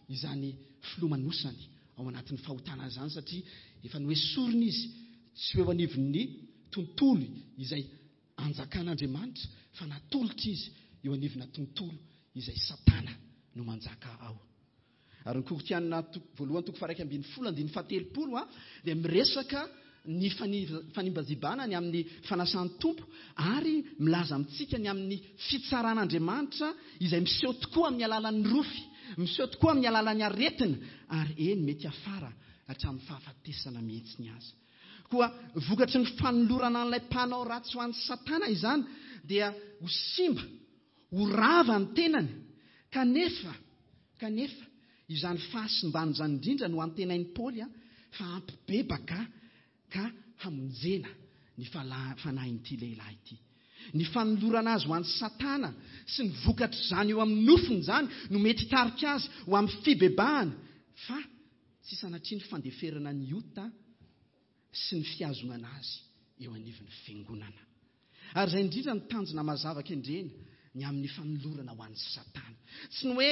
izany filomanosany ao anatin'ny fahotana izany, satria efa noesorina izy tsy eo anivon'ny tontolo izay anjakan'Andriamanitra, fa natolotra izy eo anivona tontolo izay Satana no manjaka ao. Ary ny Korintiana voalohany toko faha iraika ambin'ny folo andininy fahatelopolo dia miresaka ny fanimbazibana ny amin'ny fanasan'ny Tompo, ary milaza amintsika ny amin'ny fitsaran'Andriamanitra izay miseho tokoa amin'ny alalan'ny rofy, miseho tokoa amin'ny alalan'ny aretina, ary eny mety afara hatramin'ny fahafatesana mihitsy ny azy. Koa vokatry ny fanolorana an'ilay mpanao ratsy ho an'ny Satana izany dia ho simba, ho rava ny tenany, kanefa kanefa izany fahasimbana izany indrindra no antenain'i Paoly fa hampibebaka ka hamonjena ny fanahin'ity lehilahy ity. Ny fanolorana azy ho an'ny Satana sy ny vokatr'izany eo amin'ny nofony izany no mety hitarika azy ho amin'ny fibebahana, fa tsy sanatria ny fandeferana ny ota sy ny fihazonana azy eo anivon'ny fiangonana. Ary izay indrindra ny tanjona mazava kendrena ny amin'ny fanolorana ho an'ny Satana. Tsy ny hoe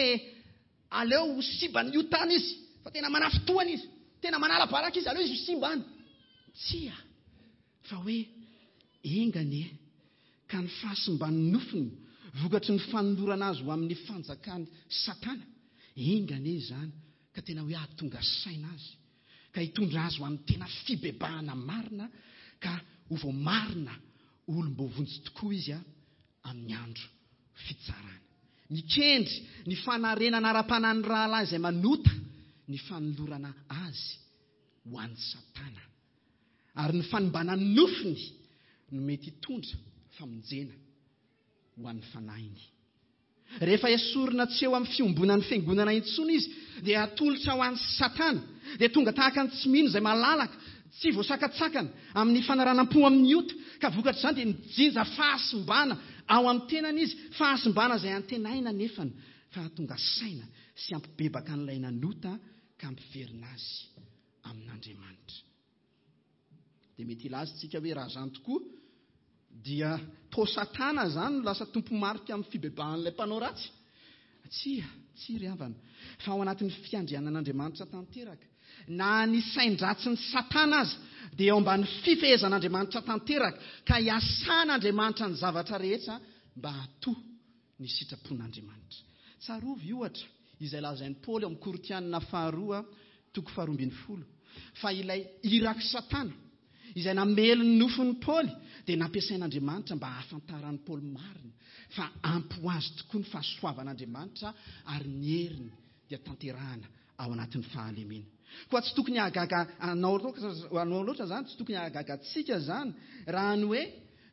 aleo ho simban'ny otany izy, fa tena manafintohana izy, tena manala baraka izy, aleo izy ho simbany. Tsia, fa hoe enga anie ka ny fahasimban'ny nofony vokatry ny fanolorana azy ho amin'ny fanjakan'ny Satana, enga anie izany ka tena hoe hahatonga saina azy, ka hitondra azy ho amin'ny tena fibebahana marina, ka ho voamarina olom-boavonjy tokoa izy a amin'ny andro fitsarana. Mikendry ny fanarenana ara-panahin'ny rahalahy izay manota ny fanolorana azy ho an'ny Satana. Ary ny fanimbana ny nofony no mety hitondra famonjena ho an'ny fanahiny. Rehefa esorina tsy eo amin'ny fiombonan'ny fiangonana intsony izy, dia atolotra ho an'ny Satana, dia tonga tahaka ny tsy mino izay malalaka, tsy voasakatsakana amin'ny fanaranam-po amin'ny ota, ka vokatr'izany dia mijinja fahasimbana ao amin'ny tenany izy, fahasimbana izay antenaina nefany fa hahatonga saina sy hampibebaka an'ilay nanota ka hampiverina azy amin'Andriamanitra. Dia mety hilaza isika hoe raha izany tokoa dia toa Satana izany no lasa tompo-marika amin'ny fibebahan'ilay mpanao ratsy. Tsia, tsia ry havana, fa ao anatin'ny fiandrianan'Andriamanitra tanteraka, na ny sain-dratsin'ny Satana aza dia eo ambany fifehezan'Andriamanitra tanteraka, ka hiasan'Andriamanitra ny zavatra rehetra mba hatoa ny sitrapon'Andriamanitra. Tsarovy ohatra izay lazain'i Paoly ao amin'ny Korintianina faharoa toko faharoa ambin'ny folo, fa ilay irak'i Satana izay namely ny nofon'i Paoly dia nampiasain'Andriamanitra mba hahafantaran'i Paoly marina fa ampy ho azy tokoa ny fahasoavan'Andriamanitra ary ny heriny dia tanterahana ao anatin'ny fahalemena. Koa tsy tokony hahagaga anao loatra, loatra izany, tsy tokony hahagaga antsika izany raha ny hoe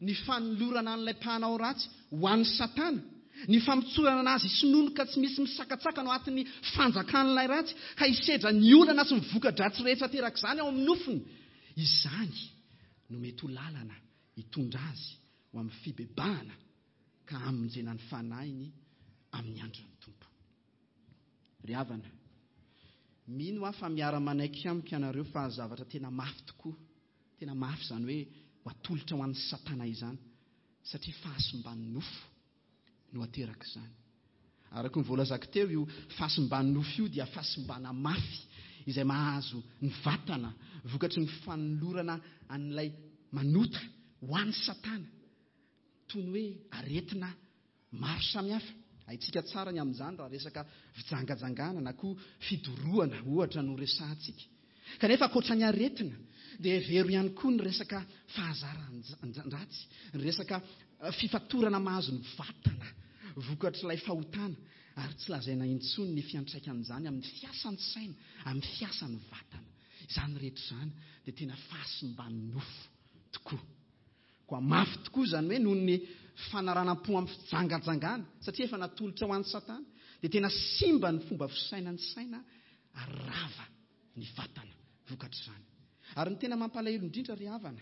ny fanolorana an'ilay mpanao ratsy ho an'ny Satana, ny famotsorana azy hisinonoka tsy misy misakatsakana ao anatin'ny fanjakan'ilay ratsy ka hisedra ny olana sy ny voka-dratsy rehetra aterak'izany ao amin'ny nofony. Izany no mety ho lalana hitondra azy ho amin'ny fibebahana ka hamonjena ny fanahiny amin'ny andron'ny Tompo. Ry havana, mino aho fa miara-manaiky amiko ianareo fa zavatra tena mafy tokoa, tena mafy izany hoe ho atolotra ho an'ny Satana izany, satria fahasimban'ny nofo no ateraka izany. Araka ny voalazako teo, io fahasimban'ny nofo io dia fahasimbana mafy izay mahazo ny vatana vokatry ny fanolorana an'ilay manota ho an'ny Satana, toy ny hoe aretina maro samihafa. Haintsika tsara ny amin'izany raha resaka fijangajangana na koa fidorohana ohatra no resahantsika. Kanefa ankoatra ny aretina dia hevero ihany koa ny resaka fahazaran-dratsy, ny resaka fifatorana mahazo ny vatana vokatr'ilay fahotana, ary tsy lazaina intsony ny fiantraikan'izany amin'ny fiasan'ny saina, amin'ny fiasan'ny vatana. Izany rehetra izany dia tena fahasimban'ny nofo tokoa. Koa mafy tokoa izany hoe noho ny fanaranam-po amin'ny fijangajangana, satria efa natolotra ho an'ny Satana, dia tena simba ny fomba fisainan'ny saina ary rava ny vatana vokatr'izany. Ary ny tena mampalahelo indrindra ry havana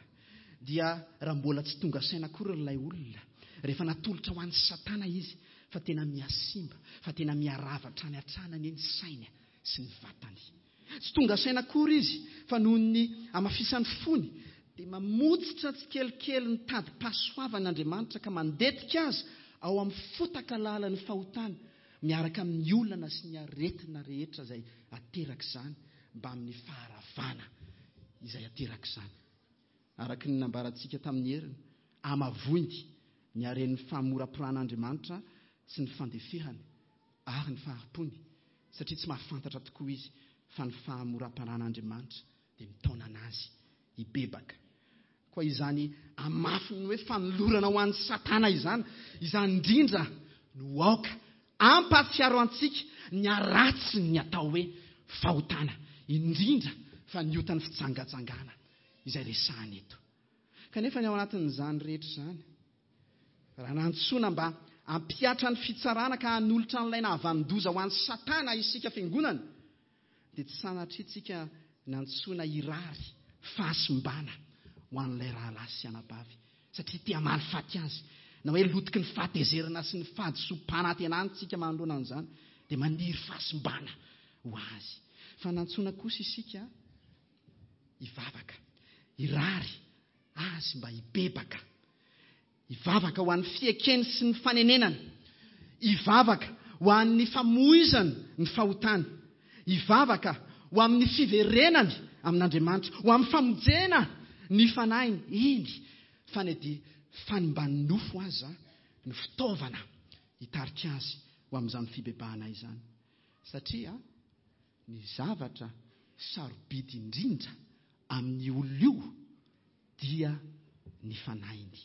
dia raha mbola tsy tonga saina akory ilay olona, rehefa natolotra ho an'ny Satana izy, fa tena mihasimba, fa tena miharava hatrany hatrany anie ny sainy sy ny vatany. Tsy tonga saina akory izy, fa noho ny hamafisan'ny fony dia mamotsitra tsikelikely ny tadim-pahasoavan'Andriamanitra ka mandetika azy ao amin'ny fotaka lalan'ny fahotana, miaraka amin'ny olana sy ny aretina rehetra izay aterak'izany, mba amin'ny faharavana izay aterak'izany. Araka ny nambarantsika tamin'ny heriny, amavoiny ny haren'ny fahamoram-piran'Andriamanitra sy ny fandeferany ary ny fahari-pony, satria tsy mahafantatra tokoa izy fa ny fahamoram-piran'Andriamanitra dia mitaona anazy hibebaka. Koa izany amafiny hoe fanolorana ho an'ny Satana izany, izany indrindra no aoka ampahatsiaro antsika ny haratsiny ny atao hoe fahotana, indrindra fa ny otan'ny fijangajangana izay resahana eto. Kanefa ny ao anatin'izany rehetra izany, raha nantsoina mba hampihatra ny fitsarana ka hanolotra an'ilay nahavandoza ho an'ny Satana isika fiangonana, dia tsy sanatria tsika nantsoina hirary fahasimbana ho an'ilay rahalahy sy anabavy, satria te hamaly faty azy, na hoe lotiky ny fahatezerana sy ny fahadisoam-panantenana tsika manoloana an'izany, dia maniry fahasimbana ho azy. Fa nantsoina kosa isika hivavaka, hirary azy mba hibebaka, hivavaka ho an'ny fiekeny sy ny fanenenana, hivavaka ho an'ny famoizany ny fahotany, hivavaka ho amin'ny fiverenany amin'Andriamanitra, ho amin'ny famonjena ny fanahiny, eny fa ny dia fanimban'ny nofo aza no fitaovana hitarika azy ho amin'izany fibebahana izany. Satria ny zavatra sarobidy indrindra amin'ny olona io dia ny fanahiny.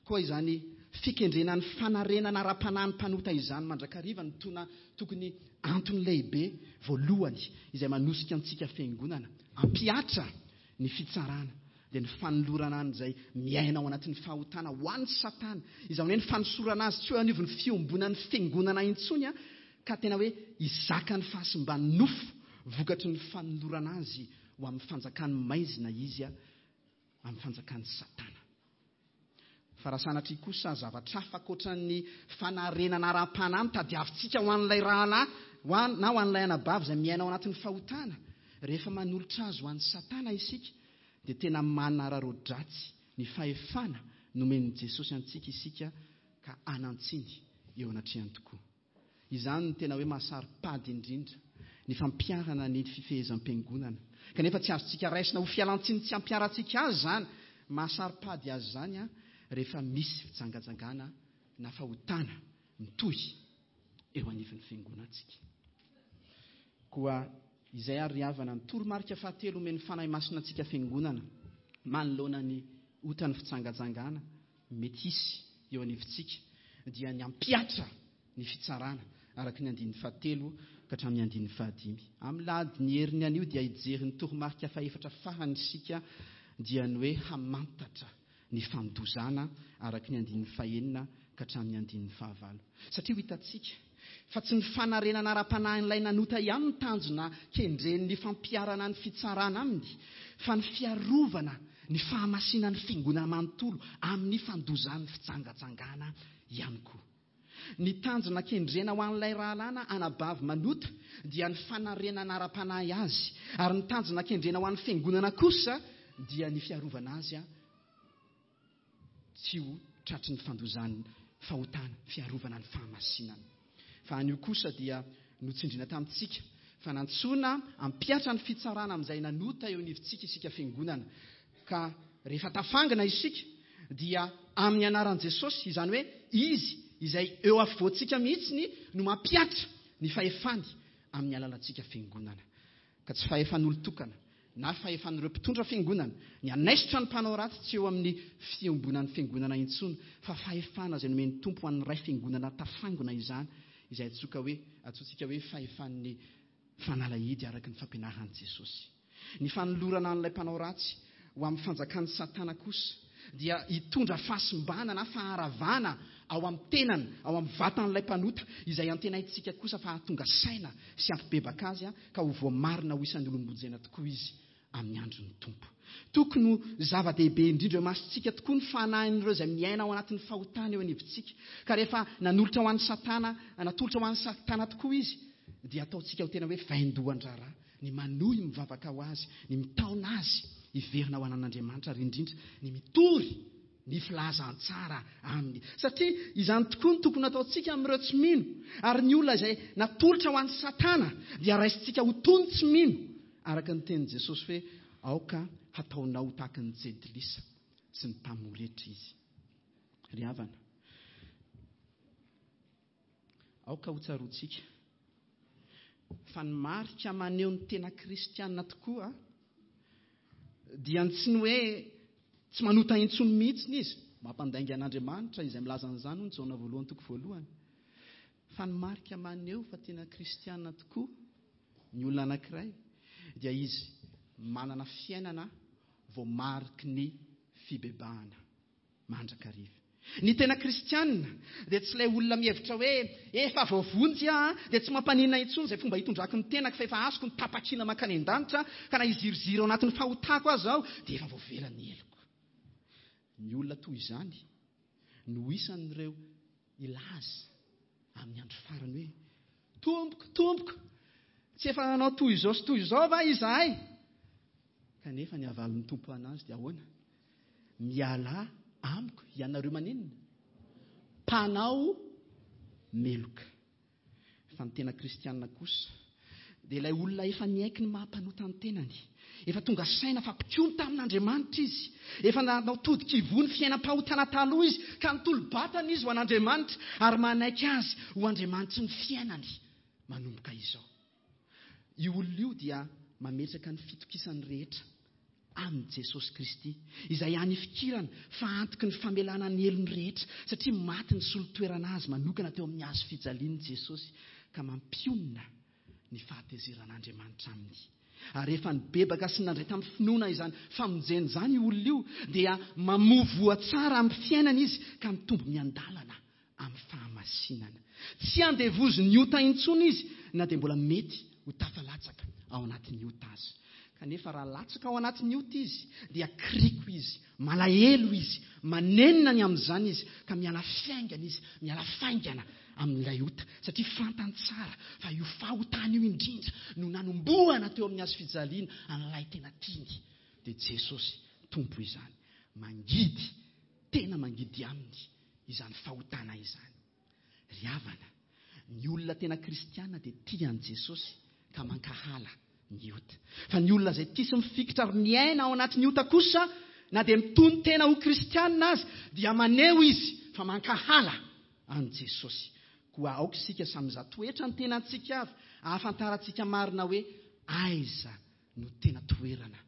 Koa izany fikendrena ny fanarenana ara-panahy ny mpanota izany mandrakariva no tona tokony antony lehibe voalohany izay manosika antsika fiangonana hampihatra ny fitsarana dia ny fanolorana an'izay miaina ao anatin'ny fahotana ho an'ny Satana. Izany hoe ny fanosorana azy tsy eo anivon'ny fiombonan'ny fiangonana intsony a, ka tena hoe hizaka ny fahasimban'ny nofo vokatry ny fanolorana azy ho amin'ny fanjakan'ny maizina izy a, amin'ny fanjakan'ny Satana. Fa raha sanatria kosa zavatra hafa ankoatran'ny fanarenana ara-panahy no tadiavintsika ho an'ilay rahalahy ho an-, na ho an'ilay anabavy izay miaina ao anatin'ny fahotana, rehefa manolotra azy ho an'ny Satana isika, dia tena manararaodratsy ny fahefana nomen'i Jesosy antsika isika ka anantsiny eo anatrehany tokoa. Izany no tena hoe mahasaro-pady indrindra ny fampiharana ny fifehezam-piangonana. Kanefa tsy azontsika raisina ho fialantsiny tsy ampiharantsika azy izany. Mahasaro-pady azy izany a, rehefa misy fijangajangana na fahotana mitohy eo anivon'ny fiangonantsika. Koa izay ary ry havana ny toromarika fahatelo omen'ny Fanahy Masina antsika fiangonana manoloana ny otan'ny fijangajangana mety hisy eo anivontsika, dia ny hampihatra ny fitsarana araka ny andininy fahatelo ka hatramin'ny andininy fahadimy. Amin'ny lahady ny heriny anio dia hijery ny toromarika fahefatra farany isika, dia ny hoe hamantatra ny fandozana araka ny andininy fahenina ka hatramin'ny andininy fahavalo. Satria ho hitantsika fa tsy ny fanarenana ara-panahin'ilay nanota ihany ny tanjona kendren'ny fampiharana ny fitsarana aminy, fa ny fiarovana ny fahamasinan'ny fiangonana manontolo amin'ny fandozan'ny fijangajangana ihany koa. Ny tanjona kendrena ho an'ilay rahalahy na anabavy manota dia ny fanarenana ara-panahy azy, ary ny tanjona kendrena ho an'ny fiangonana kosa dia ny fiarovana azy a, tsy ho tratry ny fandozan'ny fahotana, fiarovana ny fahamasinana. Fa anio kosa dia notsindrina tamintsika fa nantsoina hampihatra ny fitsarana amin'izay nanota eo anivontsika isika fiangonana. Ka rehefa tafangina isika dia amin'ny anaran'i Jesosy, izany hoe izy izay eo afovoantsika mihitsy no mampihatra ny fahefany amin'ny alalantsika fiangonana. Ka tsy fahefan'olon-tokana na fahefan'ireo mpitondra fiangonana ny hanaisotra ny mpanao ratsy tsy eo amin'ny fiombonan'ny fiangonana intsony, fa fahefana izay nomen'ny Tompo ho an'ny ray fiangonana tafangona izany, izay antsoka hoe, antsointsika hoe fahefan'ny fanalahidy araka ny fampianaran'i Jesosy. Ny fanolorana an'ilay mpanao ratsy ho amin'ny fanjakan'ny Satana kosa dia hitondra fahasimbana na faharavana ao amin'ny tenany, ao amin'ny vatan'ilay mpanota, izay antenaintsika kosa fa hahatonga saina sy hampibebaka azy a, ka ho voamarina ho isan'ny olom-bonjena tokoa izy amin'ny andron'ny Tompo. Tokony ho zava-dehibe indrindra eo imasontsika tokoa ny fanahin'ireo izay miaina ao anatin'ny fahotana eo anivontsika. Ka rehefa nanolotra ho an'ny Satana, natolotra ho an'ny Satana tokoa izy, dia ataontsika ho tena hoe vaindohan-draharaha ny manohy mivavaka ho azy, ny mitaona azy hiverina ho an'Andriamanitra, ary indrindra ny mitory ny filazantsara aminy. Satria izany tokoa no tokony ataontsika amin'ireo tsy mino, ary ny olona izay natolotra ho an'ny Satana dia raisintsika ho toy ny tsy mino, araka ny tenin'i Jesosy hoe aoka hataonao ho tahaka ny jentilisa sy ny mpamoretra izy. Ry havana, aoka ho tsaroantsika fa ny marika maneho ny tena kristiana tokoa dia ny tsy ny hoe tsy manota intsony mihitsy izy, mampandainga an'Andriamanitra izay milaza an'izany hoy ny Jaona voalohany toko voalohany, fa ny marika maneho fa tena kristiana tokoa ny olona anankiray dia izy manana fiainana voamariky ny fibebahana mandrakariva. Ny tena kristiana dia tsy ilay olona mihevitra hoe efa voavonjy aho dia tsy mampaninona intsony izay fomba hitondrako ny tenako fa efa azoko ny tapakila mankany an-danitra, ka na hiziriziry ao anatin'ny fahotako aza aho dia efa voavela ny heloko. Ny olona toy izany no isan'ireo hilaza amin'ny andro farany hoe tompoko, tompoko, tsy efa nanao toy izao sy toy izao va izahay? Kanefa ny havalin'ny Tompo anazy dia ahoana? Mialà amiko ianareo maninona? Mpanao meloka. Fa ny tena kristiana kosa dia ilay olona efa niaiky ny maha-mpanota ny tenany, efa tonga saina fa mpikomy tamin'Andriamanitra izy, efa nanao todika ivoho ny fiainam-pahotana taloha izy, ka nitolo-batana izy ho an'Andriamanitra ary manaiky azy ho Andriamanitry ny fiainany manomboka izao. Io olona io dia mametraka ny fitokisany rehetra amin'i Jesosy Kristy, izay hany ifikirana fa antoky ny famelana ny helony rehetra, satria maty ny solotoerana azy manokana teo amin'ny hazo fijalian'i Jesosy, ka mampionona ny fahatezeran'Andriamanitra aminy. Ary rehefa nibebaka sy nandray tamin'ny finoana izany famonjena izany io olona io, dia mamoa voa tsara amin'ny fiainana izy ka mitombo miandalana amin'ny fahamasinana. Tsy andevozin'ny ota intsony izy na dia mbola mety ho tafalatsaka ao anatin'ny ota aza. Kanefa raha latsaka ao anatin'ny ota izy dia kriko izy, malahelo izy, manenina ny amin'izany izy ka miala fiaingana izy, miala faingana amin'ilay ota, satria fantany tsara fa io fahotana io indrindra no nanombohana teo amin'ny hazo fijaliana an'ilay tena tiany, dia Jesosy Tompo izany. Mangidy, tena mangidy aminy izany fahotana izany. Ry havana, ny olona tena kristiana dia tia an'i Jesosy ka mankahala ny ota. Fa ny olona izay tia sy mifikitra ary miaina ao anatin'ny ota kosa, na dia mitony tena ho kristiana azy, dia maneho izy fa mankahala an'i Jesosy. Koa aoka isika samy mizaha toetra ny tenantsika avy, ahafantarantsika marina hoe aiza no tena toerana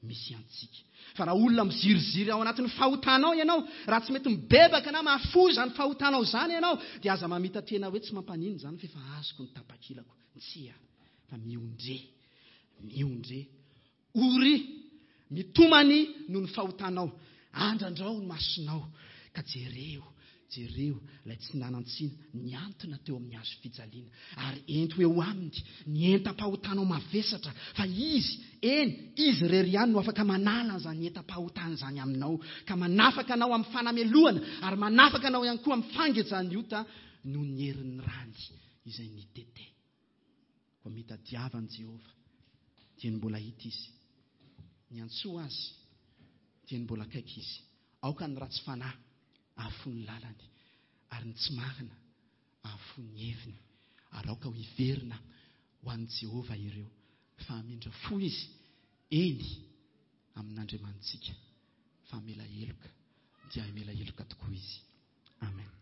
misy antsika. Fa raha olona miziriziry ao anatin'ny fahotanao ianao, raha tsy mety mibebaka na mahafoy izany fahotanao izany ianao, dia aza mamita tena hoe tsy mampanino izany fa efa azoko ny tapakilako. Tsia, fa miondre, miondre, ory, mitomany noho ny fahotanao, andrandrao ny masonao ka jereo, jereo ilay tsy nanan-tsiny niantona teo amin'ny hazo fijaliana, ary ento eo aminy ny entam-pahotanao mavesatra, fa izy, eny, izy irery ihany no afaka manala an'izany entam-pahotana izany aminao, ka manafaka anao amin'ny fanamelohana ary manafaka anao ihany koa amin'ny fangejan'ny ota noho ny herin'ny rany izay nitete. Koa mitadiava an'i Jehovah dia ny mbola hita izy, niantsoa azy dia ny mbola akaiky izy. Aoka ny ratsy fanahy ahafoy ny lalany, ary ny tsy marina ahafoy ny heviny, ary aoka ho hiverina ho an'i Jehovah ireo, fa hamindra fo izy, eny, amin'Andriamanitsika, fa hamela heloka dia hamela heloka tokoa izy. Amen.